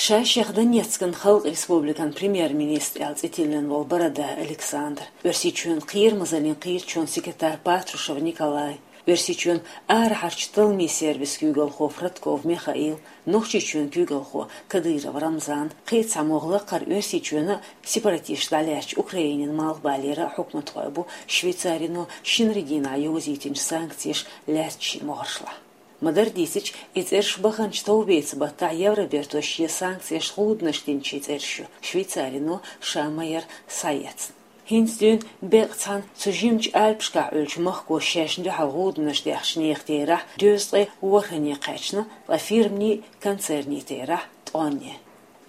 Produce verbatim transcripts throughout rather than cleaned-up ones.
Ша шех Донецкан халкъ республикан премьер-министр аьлла цӀи тиллина волу Борода Александр, Оьрсийчоьнан кхерамазаллин кхеташонан секретарь Патрушев Николай, Оьрсийчоьнан арахьарчу талламийн сервисан куьйгалхо Фродков Михаил, Нохчийчоьнан куьйгалхо Кадыров Рамзан, кхин а цхьа могӀа лакхара Оьрсийчоьнан а, сепаратисташа дӀалаьцначу Украинин малхбалера а хьукматхой бу Швейцарино шинарин дийнахь йовзийтинчу санкцеша лаьцначу шен могӀаршлахь. Ма-дарра дийцича, и цӀераш баханчу товбеца баттахь Евроберто шен санкцешна гӀуданаш динчийн цӀераш ю, Швейцарино ша ма-ярра схьаэцна. ХӀинца дуьйна беккъа цхьана цу жимачу Альпашкахь Ӏуьллучу махко шайна дуьхьал гӀуданаш даьхначу нехан терахь дезткъе ворхӀанне кхаьчна, ткъа фирманийн, концернийн терахь ткъонне.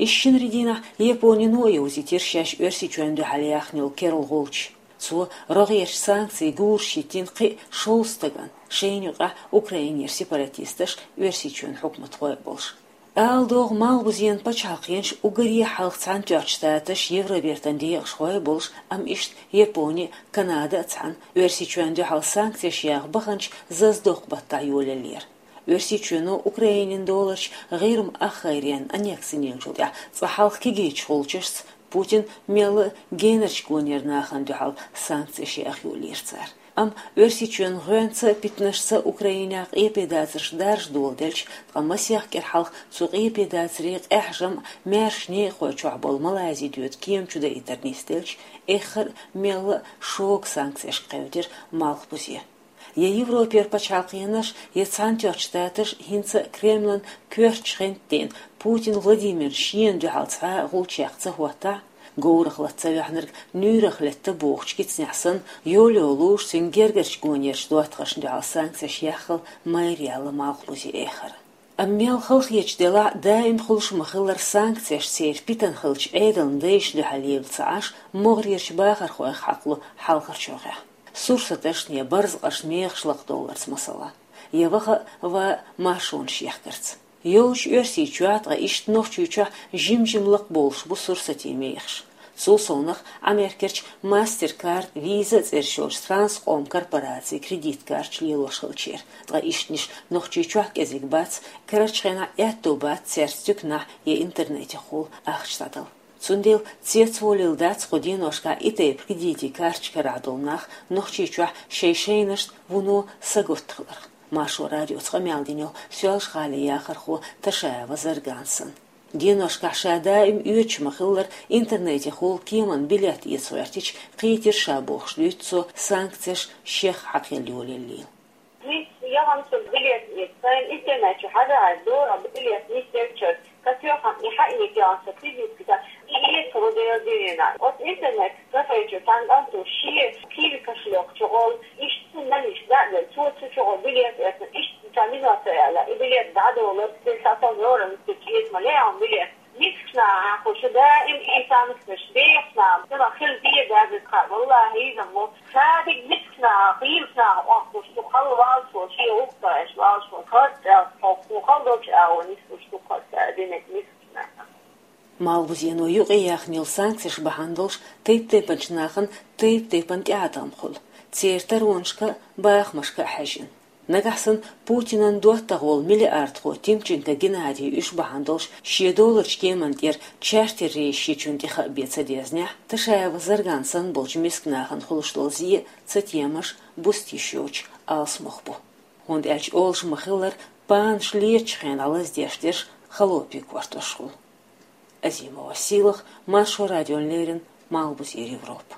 Иштта шинарин дийнахь Японино а йовзийтира шаьш Оьрсийчоьнна дуьхьал яьхна йолу керла гӀулч. Цо рогӀерчу санкцийн гураш йиттина кхин а шовзткъа стагана, шайна юкъахь Украинера сепаратисташ а, Оьрсийчоьнан хьукматхой а болуш. Ала догӀу, Малхбузенан пачхьалкхенаш уггаре а хьалха Цхьаьнатоьхначу Штаташ, Евробертан декъашхой а болуш, амма иштта Япони а, Канада а цхьаьна Оьрсийчоьнна дуьхьал санкцеш яха баханчу зазадоккху баттахь йолаеллера. Оьрсийчоьно Украинин доларчу ГӀирма ахгӀайренна аннекси йинчул тӀаьхьа цкъа хьалха кегийчу гӀулчашца Путин мелла а генарчу гонера нахана дуьхьал санкцеш яха йолаелира цара. Амма Оьрсийчоьнан гӀоьнца а, питанашца а Украинехь къепедацарш даржа доладелча, ткъа масех кӀира хьалха цу къепедацарийн къаьхьа жамӀ маьрша некъахой чохь болу Малайзи доьду кема чу даийтар нисделча, эххар а мелла а шога санкцешка кхевдира Малхбузе. Я Европера пачхьалкхенаш, я Цхьаьнатоьхначу Штаташ хӀинца а Кремлан коьртачу хентан дийнахь Путин Владимирна шена дуьхьал цхьа а гӀулч яккха ца хӀоттахь, говрах латта ца ваьхьнарг нуьйрах летта бохучу кицанехь санна, йолу-йолуш цуьнан гергарчу гонерчу доттагӀашна дуьхьал санкцеш яххал майра яьлла Малхбузе эххар. Амма мел халахеташ делахь а, даим хуьлуш ма-хиллара санкцеш церан питана хиллачу Ӏедалан дайшна дуьхьал елла ца Ӏаш, могӀарерчу бахархойх хьакхало хьалхарчу хьокъехь. Сурсаташна я барзакъашна мехаш лакхадовларца масала, я ваха а, ван а маршонаш ехкарца. Йолчу Оьрсийчохь, ткъа иштта Нохчийчохь жим-жима лакхабовлуш бу сурсатийн мехаш. Цул совнаха Америкерчу MasterCard, Visa цӀераш йолчу транскъоман корпорацийн кредит карташ лелош хилчера. Ткъа ишттанаш Нохчийчохь кӀезиг бац, карарчу хенахь аьтто бац церан стуьканахь я интернетехула ахча дӀадала. Цундела цецволийла дац кху деношкахь и тайпа кредитийн карташ карахь долу нах Нохчийчохь шайн-шайнашна вуно сагатта хиларх. Маршо радиоца къамел дина йолу Соьлжа-ГӀалин яхархо Ташаева Зарган санна. Деношкахь ша даим оьцуш ма-хиллара интернетехула кеманна билет эца гӀоьртича, кхийтира ша бохуш дуьйцу цо санкцеш шех хьакхаелла йолаеллийла. Нисса яхана со билет эца, сайна интернет чу хьажа хьажа дора билет нисделчара. Катоьхна и хьаэца яхана со кредитка, и эца гӀо дела дирина. Оцу интернет кафе чу цхьана кӀанто шен киви кошелек чу гӀолла, иштта наниш дӀа а делла, цо цу чу гӀо билет эцна, иштта цхьа минот ца яьлла, и билет дӀадолура, цуьнан сацал лорам ца чӀеза ма леӀам билет. Мискачу наха хьан хуьлуш даим и санкцеш бехачу наха, ма хила деза кхаъ, валлахӀи, иза мо. Ша дика мискачу наха, хийрачу наха охьахуш, шу хала валлаш волу, шен гӀуллакхаш валлаш волу, хаза цӀелх хьокху, хала долчу агӀо нисбуш ду хаза динарг мискачу наха. Малхбузено юкъаяьхна йолу санкцеш бахьана долуш тайп-тайпанчу нахана тайп-тайпана тӀеӀаткъам хуьлу, церан таронашка а, бахамашка а хьаьжжина. Нагахь санна Путинан доттагӀа волу миллиардхо Тимченко Геннадий уьш бахьана долуш шен доларчу кеманна тӀера чартер реза шичунна тӀе хаа бен ца дезнехь, Ташаева Зарган санна болчу миска нахана хуьлуш долу зе а цатемаш, бустийш йоцуш алсамох бу. ХӀунда аьлча олуш ма-хиллара, панаш летачу хенахь лаздеш дерш холопийн кортош хуьлу. Азимова Сийлаха, Маршо радиона леррина, Малхбузера Европа.